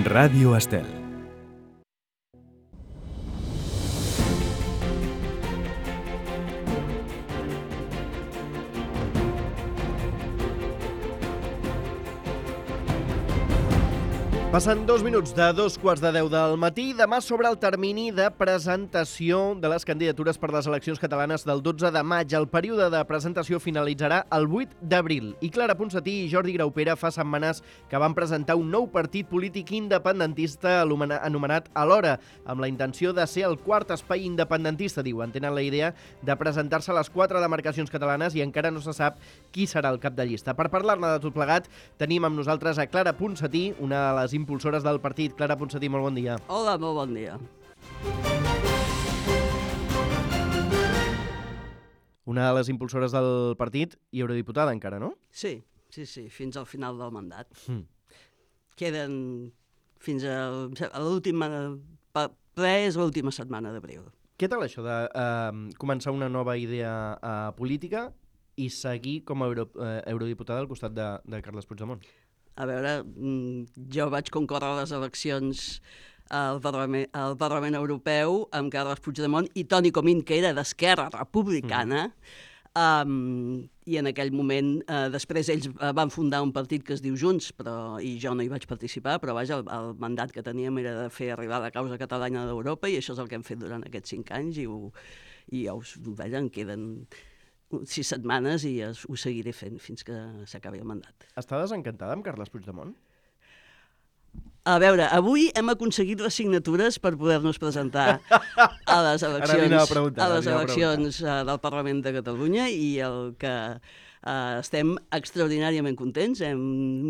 Ràdio Estel. Passen 2 minuts de 2:15 del matí. Demà s'obre el termini de presentació de les candidatures per les eleccions catalanes del 12 de maig. El període de presentació finalitzarà el 8 d'abril. I Clara Ponsatí i Jordi Graupera fa setmanes que van presentar un nou partit polític independentista anomenat Alhora, amb la intenció de ser el quart espai independentista, diuen. Tenen la idea de presentar-se a les 4 demarcacions catalanes i encara no se sap qui serà el cap de llista. Per parlar-ne de tot plegat, tenim amb nosaltres a Clara Ponsatí, una de les impulsores del partit. Clara Ponsatí, molt bon dia. Hola, molt bon dia. Una de les impulsores del partit i eurodiputada encara, no? Sí, fins al final del mandat. Queden fins a l'última ple, és l'última setmana d'abril. Què tal això de començar una nova idea política i seguir com a eurodiputada al costat de Carles Puigdemont? A veure, jo vaig concórrer a les eleccions al Parlament Europeu amb Carles Puigdemont i Toni Comín, que era d'Esquerra Republicana, i en aquell moment, després ells van fundar un partit que es diu Junts, i jo no hi vaig participar, però vaja, el mandat que teníem era de fer arribar la causa catalana d'Europa i això és el que hem fet durant aquests 5 anys i ja em queden 6 setmanes i ho seguiré fent fins que s'acabi el mandat. Està desencantada amb Carles Puigdemont? A veure, avui hem aconseguit les signatures per poder-nos presentar a les eleccions del Parlament de Catalunya i el que estem extraordinàriament contents. Hem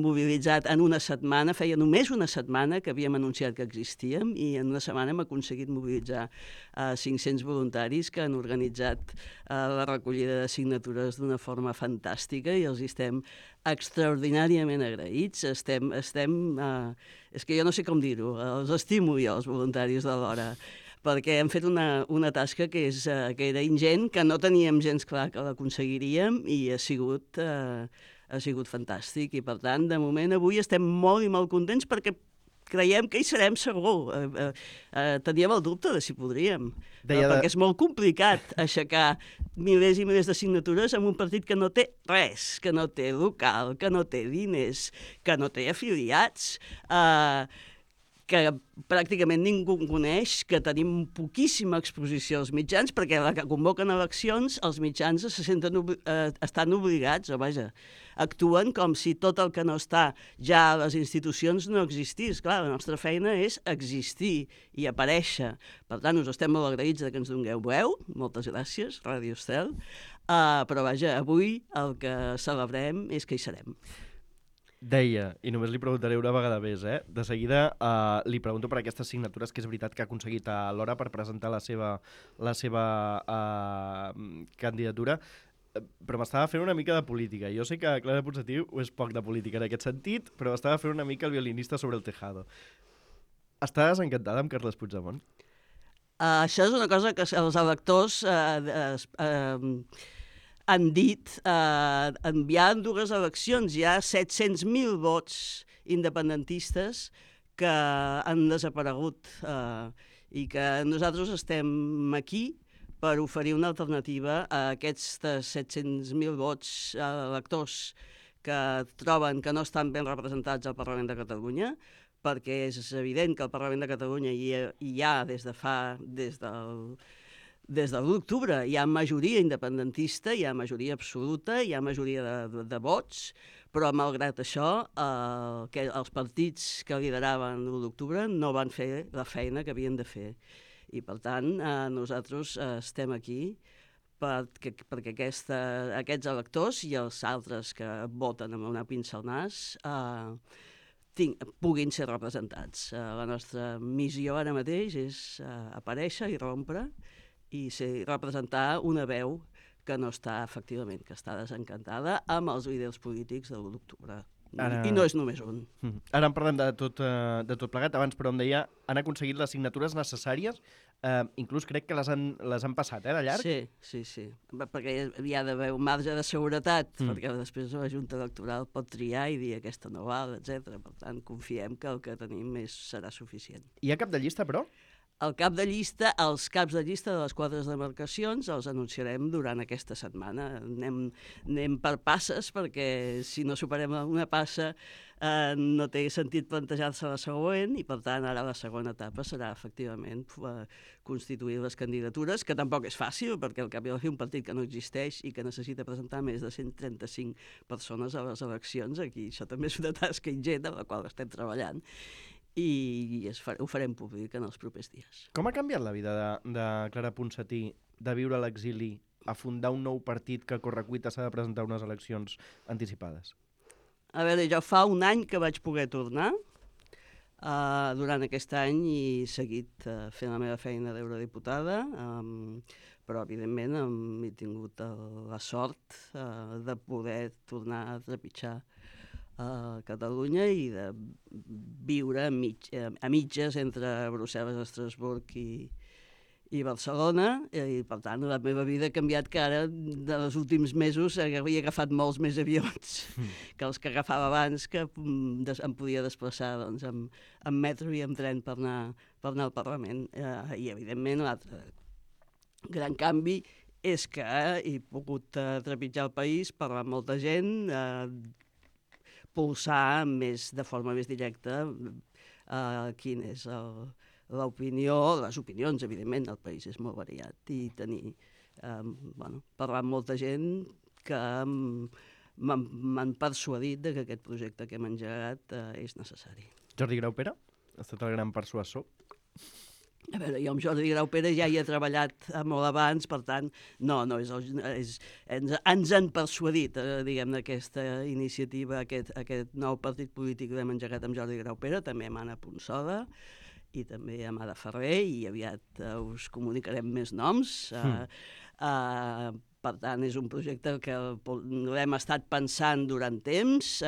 mobilitzat en una setmana, feia només una setmana que havíem anunciat que existíem i en una setmana hem aconseguit mobilitzar 500 voluntaris que han organitzat la recollida de signatures d'una forma fantàstica i els estem extraordinàriament agraïts. És que jo no sé com dir-ho, els estimo jo, els voluntaris de l'Hora, perquè hem fet una tasca que era ingent, que no teníem gens clar que l'aconseguiríem i ha sigut fantàstic. I per tant, de moment, avui estem molt i molt contents perquè creiem que hi serem segur. Teníem el dubte de si podríem, perquè és molt complicat aixecar milers i milers de signatures en un partit que no té res, que no té local, que no té diners, que no té afiliats, que pràcticament ningú coneix, que tenim poquíssima exposició als mitjans, perquè la que convoquen eleccions, els mitjans estan obligats, o vaja, actuen com si tot el que no està ja a les institucions no existís. Clar, la nostra feina és existir i aparèixer. Per tant, us estem molt agraïts que ens dongueu veu. Moltes gràcies, Ràdio Estel. Però vaja, avui el que celebrem és que hi serem. Deia, i només li preguntaré una vegada més, de seguida li pregunto per aquestes signatures, que és veritat que ha aconseguit a l'Hora per presentar la seva candidatura, però m'estava fent una mica de política. Jo sé que Clara Ponsatí és poc de política en aquest sentit, però m'estava fent una mica el violinista sobre el tejado. Està desencantada amb Carles Puigdemont? Això és una cosa que els electors han dit enviant 2 eleccions. Hi ha 700.000 vots independentistes que han desaparegut i que nosaltres estem aquí per oferir una alternativa a aquests 700.000 vots electors que troben que no estan ben representats al Parlament de Catalunya, perquè és evident que al Parlament de Catalunya hi ha des de l'octubre hi ha majoria independentista, hi ha majoria absoluta, hi ha majoria de vots, però malgrat això els partits que lideraven l'1 d'octubre no van fer la feina que havien de fer. I per tant nosaltres estem aquí perquè aquests electors i els altres que voten amb una pinça al nas puguin ser representats. La nostra missió ara mateix és aparèixer i rompre i representar una veu que no està, efectivament, que està desencantada amb els líders polítics de l'1 d'octubre. I no és només un. Ara en parlem de tot plegat. Abans, però, em deia, han aconseguit les signatures necessàries inclús crec que les han passat, de llarg. Sí. Perquè hi ha d'haver un marge de seguretat, perquè després la Junta Electoral pot triar i dir aquesta no val, etc. Per tant, confiem que el que tenim serà suficient. Hi ha cap de llista, però? Els caps de llista de les 4 demarcacions els anunciarem durant aquesta setmana. Anem per passes, perquè si no superem una passa no té sentit plantejar-se la següent, i per tant ara la segona etapa serà efectivament constituir les candidatures, que tampoc és fàcil, perquè al cap i a la fi un partit que no existeix i que necessita presentar més de 135 persones a les eleccions, aquí això també és una tasca ingent amb la qual estem treballant, i ho farem públic en els propers dies. Com ha canviat la vida de Clara Ponsatí de viure a l'exili a fundar un nou partit que a correcuita s'ha de presentar unes eleccions anticipades? A veure, jo fa un any que vaig poder tornar durant aquest any i he seguit fent la meva feina d'eurodiputada, però evidentment he tingut la sort de poder tornar a trepitjar a Catalunya i de viure a mitges entre Brussel·les, Estrasburg i Barcelona, i per tant la meva vida ha canviat, que ara dels últims mesos havia agafat molts més avions que els que agafava abans, que em podia desplaçar amb metro i amb tren per anar al Parlament. I evidentment l'altre gran canvi és que he pogut trepitjar el país, parlar amb molta gent, pulsar de forma més directa quina és l'opinió, les opinions, evidentment, el país és molt variat, i parlar amb molta gent que m'han persuadit que aquest projecte que hem engegat és necessari. Jordi Graupera ha estat el gran persuasor? A veure, jo amb Jordi Graupera ja hi he treballat molt abans, per tant, ens han persuadit, diguem-ne, aquesta iniciativa, aquest nou partit polític que hem engegat amb Jordi Graupera, també amb Anna Ponsoda i també amb Ada Ferrer, i aviat us comunicarem més noms. Per tant, és un projecte que l'hem estat pensant durant temps,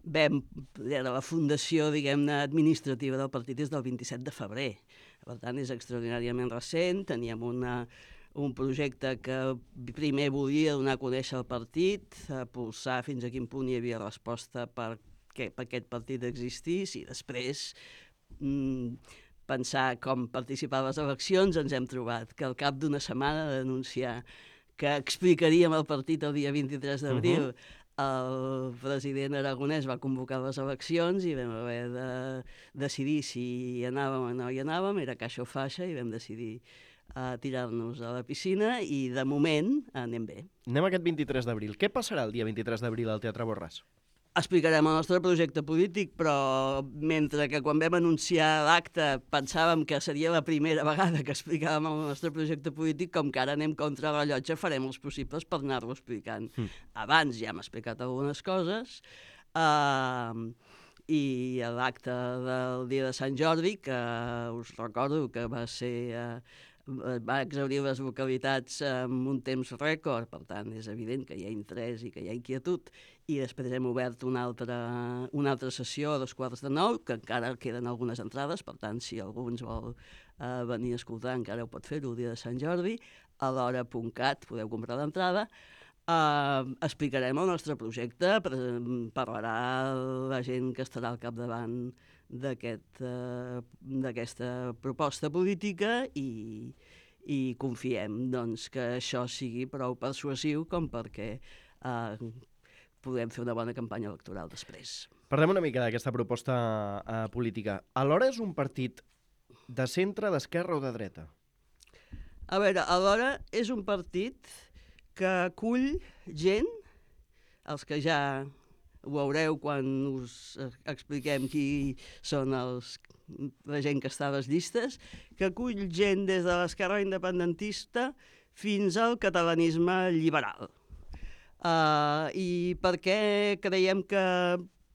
la fundació, diguem-ne, administrativa del partit és del 27 de febrer. Per tant, és extraordinàriament recent. Teníem un projecte que primer volia donar a conèixer el partit, pulsar fins a quin punt hi havia resposta perquè aquest partit existís, i després pensar com participar a les eleccions. Ens hem trobat que al cap d'una setmana d'anunciar que explicaríem el partit el dia 23 d'abril, el president Aragonès va convocar les eleccions i vam haver de decidir si hi anàvem o no hi anàvem. Era caixa o faixa, i vam decidir tirar-nos a la piscina, i de moment anem bé. Anem aquest 23 d'abril. Què passarà el dia 23 d'abril al Teatre Borràs? Explicarem el nostre projecte polític, però mentre que quan vam anunciar l'acte pensàvem que seria la primera vegada que explicàvem el nostre projecte polític, com que ara anem contra el rellotge, farem els possibles per anar-lo explicant. Abans ja hem explicat algunes coses, i l'acte del dia de Sant Jordi, que us recordo que va exhaurir les localitats en un temps rècord, per tant és evident que hi ha interès i que hi ha inquietud, i després hem obert una altra sessió a 8:45, que encara queden algunes entrades, per tant si algú ens vol venir a escoltar encara ho pot fer el dia de Sant Jordi, a l'hora.cat podeu comprar l'entrada. Explicarem el nostre projecte, parlarà la gent que estarà al capdavant d'aquesta proposta política, i confiem que això sigui prou persuasiu com perquè podem fer una bona campanya electoral després. Parlem una mica d'aquesta proposta política. Alhora és un partit de centre, d'esquerra o de dreta? A veure, alhora és un partit que acull gent, els que ja ho veureu quan us expliquem qui són la gent que està a les llistes, que acull gent des de l'esquerra independentista fins al catalanisme liberal. I per què creiem que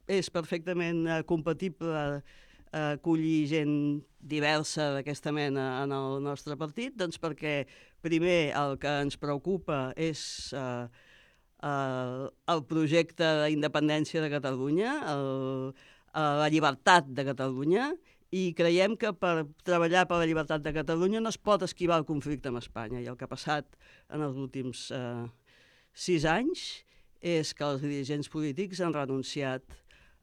és perfectament compatible acollir gent diversa d'aquesta mena en el nostre partit? Doncs perquè, primer, el que ens preocupa és el projecte d'independència de Catalunya, la llibertat de Catalunya, i creiem que per treballar per la llibertat de Catalunya no es pot esquivar el conflicte amb Espanya. I el que ha passat en els últims 6 anys és que els dirigents polítics han renunciat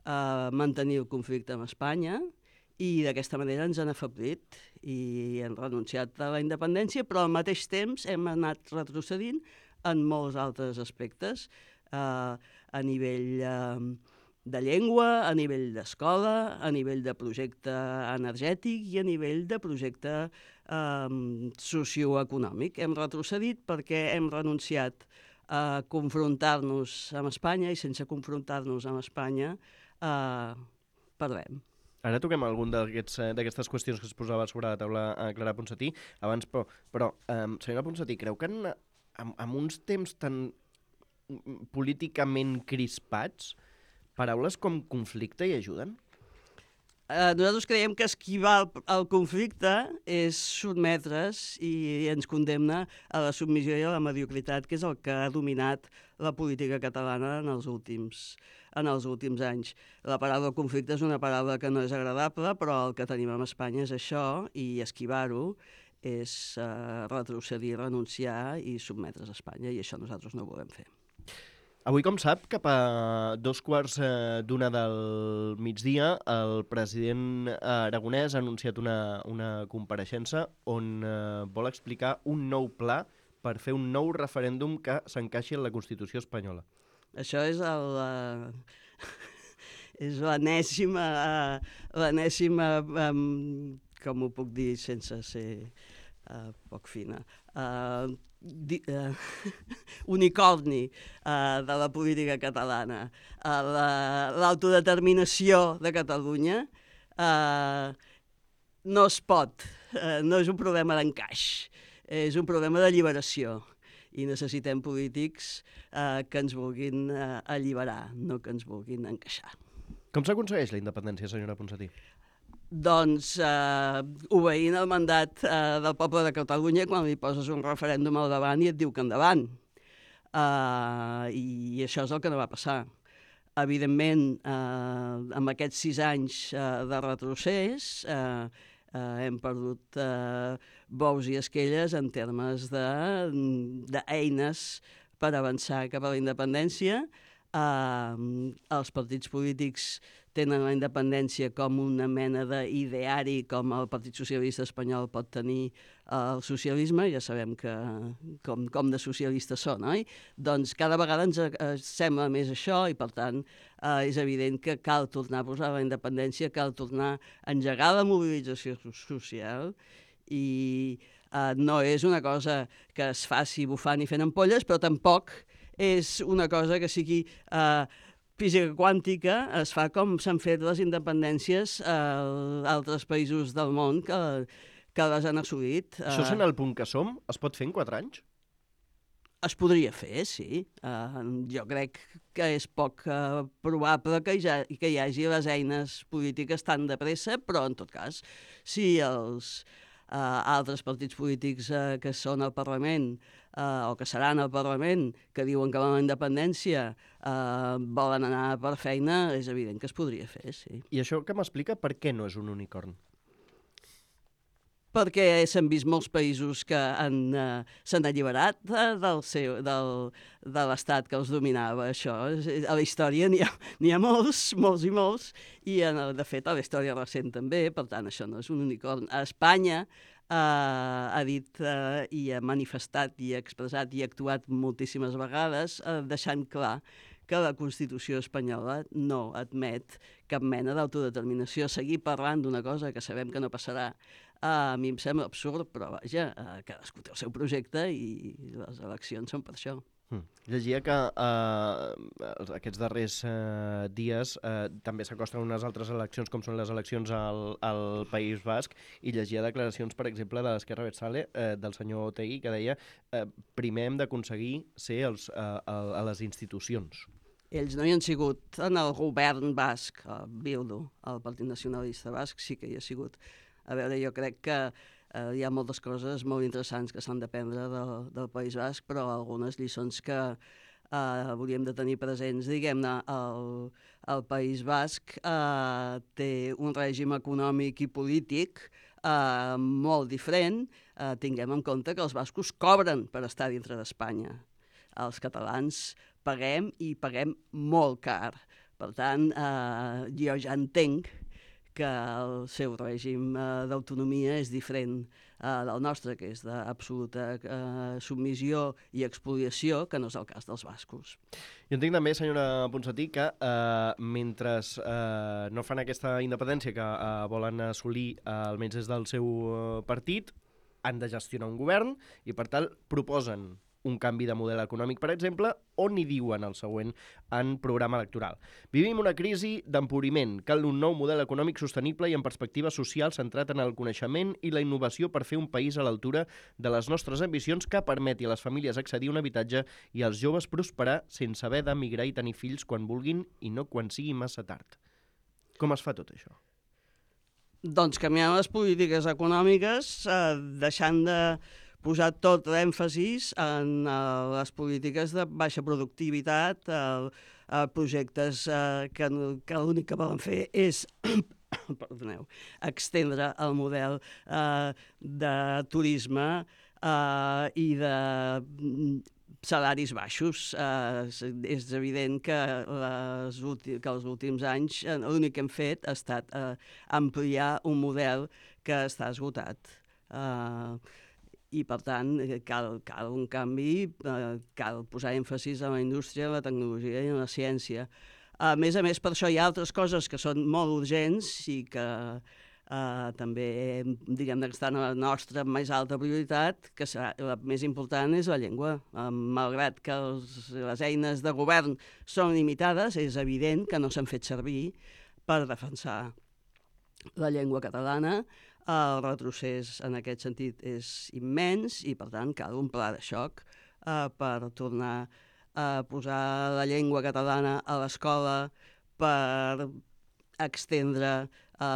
a mantenir el conflicte amb Espanya i d'aquesta manera ens han afeblit i han renunciat a la independència, però al mateix temps hem anat retrocedint en molts altres aspectes, a nivell de llengua, a nivell d'escola, a nivell de projecte energètic i a nivell de projecte socioeconòmic. Hem retrocedit perquè hem renunciat a confrontar-nos amb Espanya i sense confrontar-nos amb Espanya perdem. Ara toquem algun d'aquestes qüestions que es posava sobre la taula a Clara Ponsatí. Abans, però senyora Ponsatí, creu que en uns temps tan políticament crispats, paraules com conflicte hi ajuden? Nosaltres creiem que esquivar el conflicte és sotmetre's i ens condemna a la submissió i a la mediocritat, que és el que ha dominat la política catalana en els últims anys. La paraula conflicte és una paraula que no és agradable, però el que tenim a Espanya és això, i esquivar-ho és retrocedir, renunciar i sotmetre's a Espanya, i això nosaltres no ho volem fer. Avui, com sap, cap a 2:15 del migdia, el president aragonès ha anunciat una compareixença on vol explicar un nou pla per fer un nou referèndum que s'encaixi en la Constitució espanyola. Això és l'enèsima, com ho puc dir sense ser poc fina, unicorni de la política catalana. L'autodeterminació de Catalunya no es pot, no és un problema d'encaix, és un problema d'alliberació. I necessitem polítics que ens vulguin alliberar, no que ens vulguin encaixar. Com s'aconsegueix la independència, senyora Ponsatí? Doncs obeint el mandat del poble de Catalunya quan li poses un referèndum al davant i et diu que endavant. I això és el que no va passar. Evidentment, amb aquests 6 anys de retrocés, hem perdut bous i esquelles en termes d'eines per avançar cap a la independència. Els partits polítics tenen la independència com una mena d'ideari, com el Partit Socialista Espanyol pot tenir el socialisme, ja sabem com de socialistes són, oi? Doncs cada vegada ens sembla més això i, per tant, és evident que cal tornar a posar la independència, cal tornar a engegar la mobilització social i no és una cosa que es faci bufant i fent ampolles, però tampoc és una cosa que sigui física quàntica, es fa com s'han fet les independències a altres països del món que les han assolit. Això sent el punt que som, es pot fer en 4 anys? Es podria fer, sí. Jo crec que és poc probable que hi hagi les eines polítiques tan de pressa, però en tot cas, si els altres partits polítics que són al Parlament o que seran al Parlament, que diuen que la independència volen anar per feina, és evident que es podria fer, sí. I això que m'explica per què no és un unicorn? Perquè s'han vist molts països que s'han alliberat de l'estat que els dominava. Això, a la història n'hi ha molts, molts i molts, i de fet a la història recent també, per tant això no és un unicorn. A Espanya ha dit i ha manifestat i ha expressat i ha actuat moltíssimes vegades deixant clar que la Constitució espanyola no admet cap mena d'autodeterminació. Seguir parlant d'una cosa que sabem que no passarà a mi em sembla absurd, però vaja, cadascú té el seu projecte i les eleccions són per això. Llegia que aquests darrers dies també s'acosten unes altres eleccions, com són les eleccions al País Basc, i llegia declaracions, per exemple, de l'Esquerra Abertzale, del senyor Otegi, que deia primer hem d'aconseguir ser a les institucions. Ells no hi han sigut en el govern basc, Bildu, el Partit Nacionalista Basc, sí que hi ha sigut. A veure, jo crec que hi ha moltes coses molt interessants que s'han d'aprendre del País Basc, però algunes lliçons que hauríem de tenir presents, diguem-ne, el País Basc té un règim econòmic i polític molt diferent. Tinguem en compte que els bascos cobren per estar dintre d'Espanya. Els catalans paguem i paguem molt car. Per tant, jo ja entenc que el seu règim d'autonomia és diferent del nostre, que és d'absoluta submissió i expoliació, que no és el cas dels bascos. Jo entenc també, senyora Ponsatí, que mentre no fan aquesta independència que volen assolir almenys des del seu partit, han de gestionar un govern i, per tant, proposen un canvi de model econòmic, per exemple, on hi diuen el següent en programa electoral. Vivim una crisi d'empobriment. Cal un nou model econòmic sostenible i en perspectiva social centrat en el coneixement i la innovació per fer un país a l'altura de les nostres ambicions que permeti a les famílies accedir a un habitatge i als joves prosperar sense haver d'emigrar i tenir fills quan vulguin i no quan sigui massa tard. Com es fa tot això? Doncs canviant les polítiques econòmiques, deixant de posar tot l'èmfasis en les polítiques de baixa productivitat, projectes que l'únic que volen fer és extendre el model de turisme i de salaris baixos. És evident que els últims anys l'únic que hem fet ha estat ampliar un model que està esgotat. I, per tant, cal un canvi, cal posar èmfasis en la indústria, en la tecnologia i en la ciència. A més, per això hi ha altres coses que són molt urgents i que també, diguem-ne, que estan a la nostra més alta prioritat, que la més important és la llengua. Malgrat que les eines de govern són limitades, és evident que no s'han fet servir per defensar la llengua catalana. El retrocés en aquest sentit és immens i, per tant, cal un pla de xoc per tornar a posar la llengua catalana a l'escola, per extendre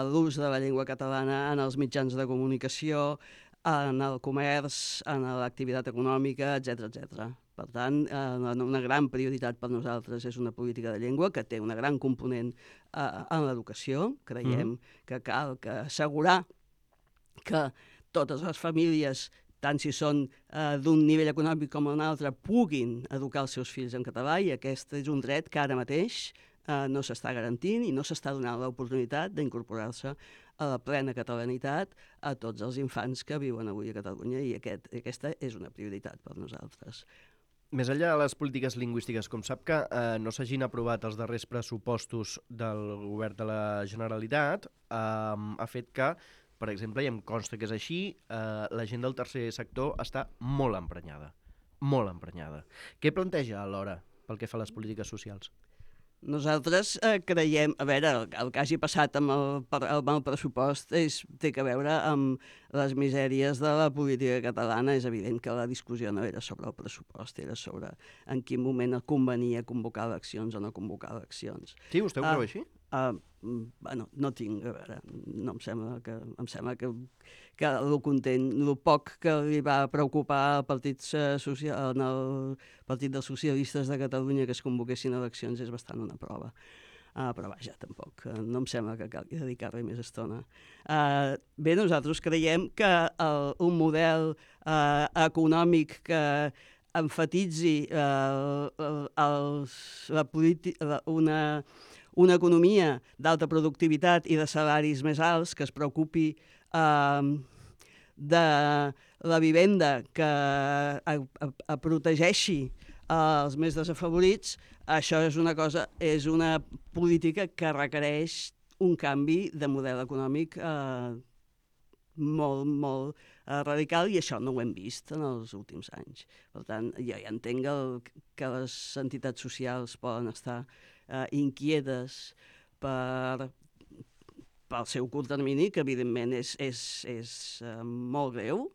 l'ús de la llengua catalana en els mitjans de comunicació, en el comerç, en l'activitat econòmica, etc. Per tant, una gran prioritat per nosaltres és una política de llengua que té una gran component en l'educació. Creiem que cal assegurar que totes les famílies, tant si són d'un nivell econòmic com un altre, puguin educar els seus fills en català, i aquest és un dret que ara mateix no s'està garantint i no s'està donant l'oportunitat d'incorporar-se a la plena catalanitat a tots els infants que viuen avui a Catalunya, i aquesta és una prioritat per nosaltres. Més enllà de les polítiques lingüístiques, com sap que no s'hagin aprovat els darrers pressupostos del govern de la Generalitat, ha fet que, per exemple, i em consta que és així, la gent del tercer sector està molt emprenyada. Molt emprenyada. Què planteja alhora pel que fa a les polítiques socials? Nosaltres creiem, a veure, el que hagi passat amb el pressupost té a veure amb les misèries de la política catalana. És evident que la discussió no era sobre el pressupost, era sobre en quin moment convenia convocar eleccions o no convocar eleccions. Sí, vostè ho creu així? Bueno, no tinc, a veure, no em sembla que el poc que li va preocupar al Partit dels Socialistes de Catalunya que es convoquessin eleccions és bastant una prova. Però vaja, tampoc, no em sembla que calgui dedicar-li més estona. Bé, nosaltres creiem que un model econòmic que enfatitzi una economia d'alta productivitat i de salaris més alts, que es preocupi de la vivenda, que protegeixi els més desafavorits, això és una política que requereix un canvi de model econòmic molt radical, i això no ho hem vist en els últims anys. Per tant, jo ja entenc que les entitats socials poden estar inquietes pel seu curt termini, que evidentment és molt greu.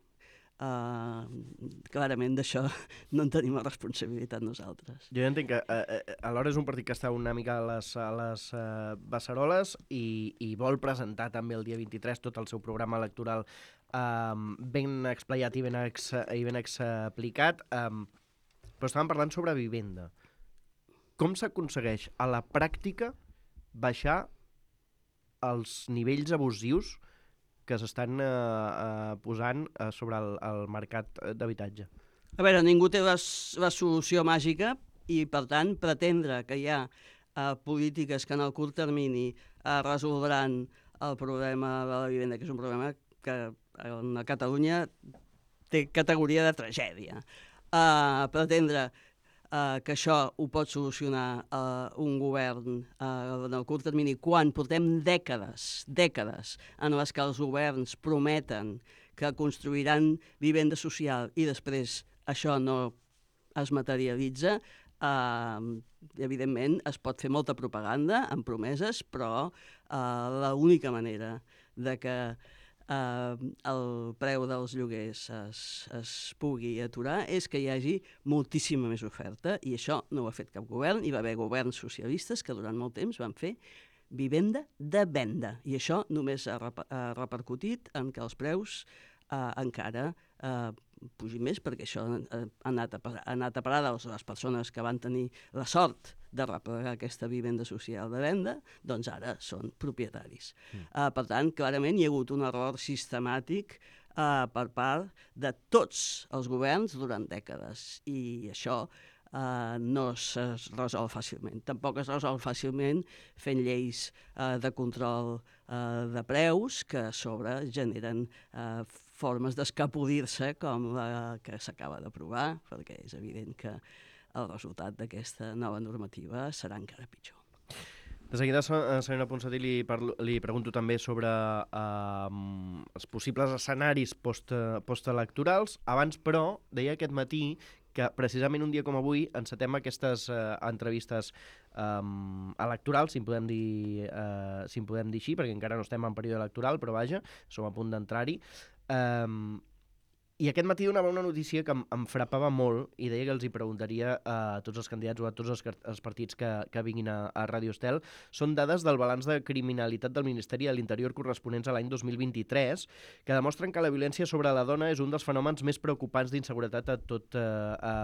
Clarament d'això no en tenim la responsabilitat nosaltres. Jo entenc que alhora és un partit que està una mica a les beceroles i vol presentar també el dia 23 tot el seu programa electoral ben explayat i ben explicat, però estàvem parlant sobre vivenda. com s'aconsegueix a la pràctica baixar els nivells abusius que s'estan posant sobre el mercat d'habitatge? A veure, ningú té la solució màgica i, per tant, pretendre que hi ha polítiques que en el curt termini resoldran el problema de la vivenda, que és un problema que a Catalunya té categoria de tragèdia. Pretendre que això ho pot solucionar un govern en el curt termini, quan portem dècades en les que els governs prometen que construiran vivenda social i després això no es materialitza, evidentment es pot fer molta propaganda amb promeses, però l'única manera de que el preu dels lloguers es pugui aturar és que hi hagi moltíssima més oferta, i això no ho ha fet cap govern. Hi va haver governs socialistes que durant molt temps van fer vivenda de venda, i això només ha repercutit en que els preus encara pugin més, perquè això ha anat a parar a les persones que van tenir la sort de replegar aquesta vivenda social de venda, doncs ara són propietaris. Per tant, clarament hi ha hagut un error sistemàtic per part de tots els governs durant dècades, i això no es resol fàcilment. Tampoc es resol fàcilment fent lleis de control de preus que a sobre generen formes d'escapolir-se com la que s'acaba d'aprovar, perquè és evident que el resultat d'aquesta nova normativa serà encara pitjor. De seguida, senyora Ponsatí, li pregunto també sobre els possibles escenaris postelectorals. Abans, però, deia aquest matí que precisament un dia com avui encetem aquestes entrevistes electorals, si en podem dir així, perquè encara no estem en període electoral, però vaja, som a punt d'entrar-hi. I aquest matí donava una notícia que em frapava molt i deia que els hi preguntaria a tots els candidats o a tots els partits que vinguin a Ràdio Estel. Són dades del balanç de criminalitat del Ministeri de l'Interior corresponents a l'any 2023 que demostren que la violència sobre la dona és un dels fenòmens més preocupants d'inseguretat a tot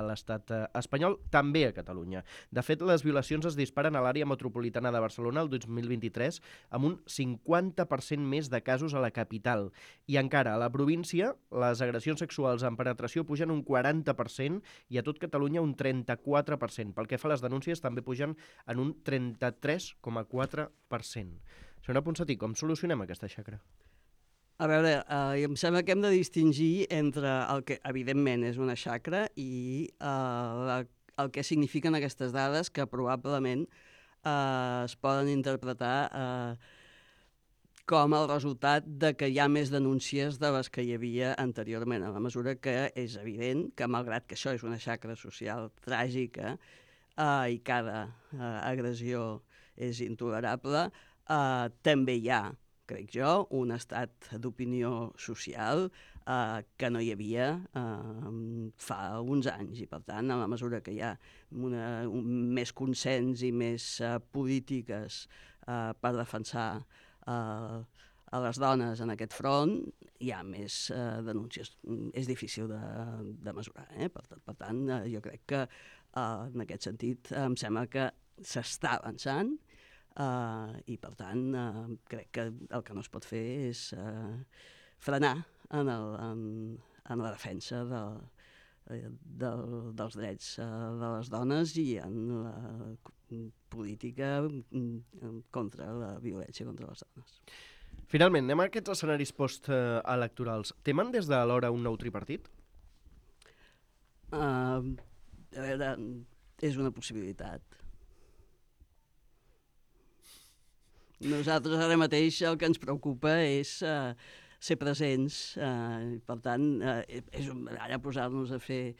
l'estat espanyol, també a Catalunya. De fet, les violacions es disparen a l'àrea metropolitana de Barcelona el 2023 amb un 50% més de casos a la capital. I encara, a la província, les agressions sexuals en penetració pugen un 40% i a tot Catalunya un 34%. Pel que fa a les denúncies també pugen en un 33,4%. Senyora Ponsatí, com solucionem aquesta xacra? A veure, em sembla que hem de distingir entre el que evidentment és una xacra i el que signifiquen aquestes dades, que probablement es poden interpretar com el resultat de que hi ha més denúncies de les que hi havia anteriorment, a la mesura que és evident que, malgrat que això és una xacra social tràgica i cada agressió és intolerable, també hi ha, crec jo, un estat d'opinió social que no hi havia fa uns anys, i per tant, a la mesura que hi ha més consens i més polítiques per defensar a les dones en aquest front, hi ha més denúncies. És difícil de mesurar, Per tant, jo crec que en aquest sentit em sembla que s'està avançant i per tant crec que el que no es pot fer és frenar en la defensa dels drets de les dones i en la política contra la violència contra les dones. Finalment, anem a aquests escenaris postelectorals. Temen des de l'hora un nou tripartit? A veure, és una possibilitat. Nosaltres ara mateix el que ens preocupa és ser presents, per tant, ara posar-nos a fer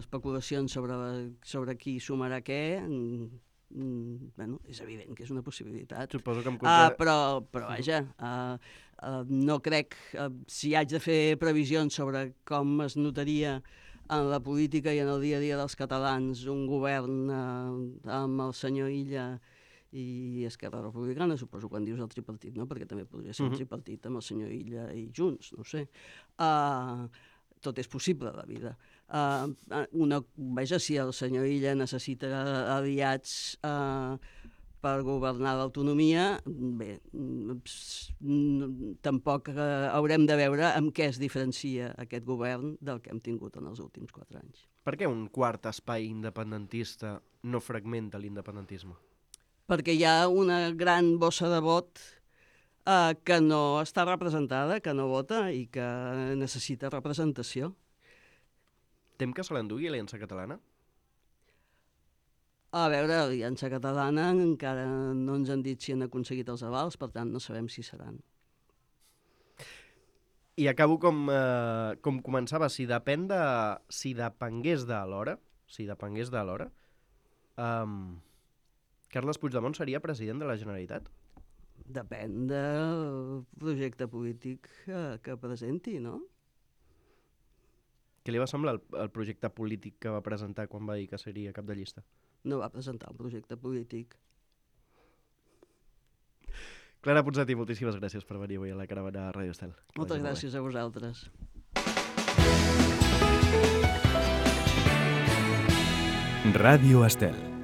especulacions sobre qui sumarà què, és evident que és una possibilitat. Suposo que però vaja, no crec, si haig de fer previsions sobre com es notaria en la política i en el dia a dia dels catalans un govern amb el senyor Illa i Esquerra Republicana, suposo quan dius el tripartit, no? Perquè també podria ser un tripartit amb el senyor Illa i Junts, no ho sé. Tot és possible a la vida. Si el senyor Illa necessita aliats per governar l'autonomia, bé, tampoc haurem de veure amb què es diferencia aquest govern del que hem tingut en els últims 4 anys. Per què un quart espai independentista no fragmenta l'independentisme? Perquè hi ha una gran bossa de vot que no està representada, que no vota i que necessita representació. Tem que se l'endugui l'Aliança Catalana? A veure, l'Aliança Catalana encara no ens han dit si han aconseguit els avals, per tant no sabem si seran. I acabo com començava, si depengués de l'hora, Carles Puigdemont seria president de la Generalitat? Depèn del projecte polític que presenti, no? Què li va semblar el projecte polític que va presentar quan va dir que seria cap de llista? No va presentar un projecte polític. Clara Ponsatí, moltíssimes gràcies per venir avui a la caravana Ràdio Estel. Moltes gràcies a vosaltres. Ràdio Estel.